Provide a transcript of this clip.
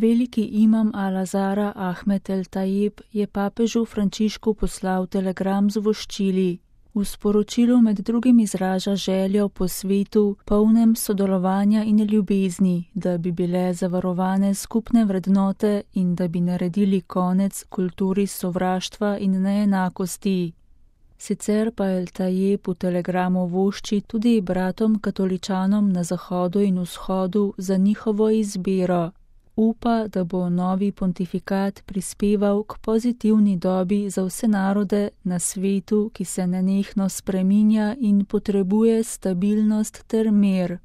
Veliki imam Al-Azhara Ahmed el-Tajib je papežu Frančišku poslal telegram z voščili. V sporočilu med drugim izraža željo po svetu, polnem sodelovanja in ljubezni, da bi bile zavarovane skupne vrednote in da bi naredili konec kulturi sovraštva in neenakosti. Sicer pa el-Tajib v telegramu vošči tudi bratom katoličanom na zahodu in vzhodu za njihovo izbiro. Upa, da bo novi pontifikat prispeval k pozitivni dobi za vse narode na svetu, ki se nenehno spreminja in potrebuje stabilnost ter mir.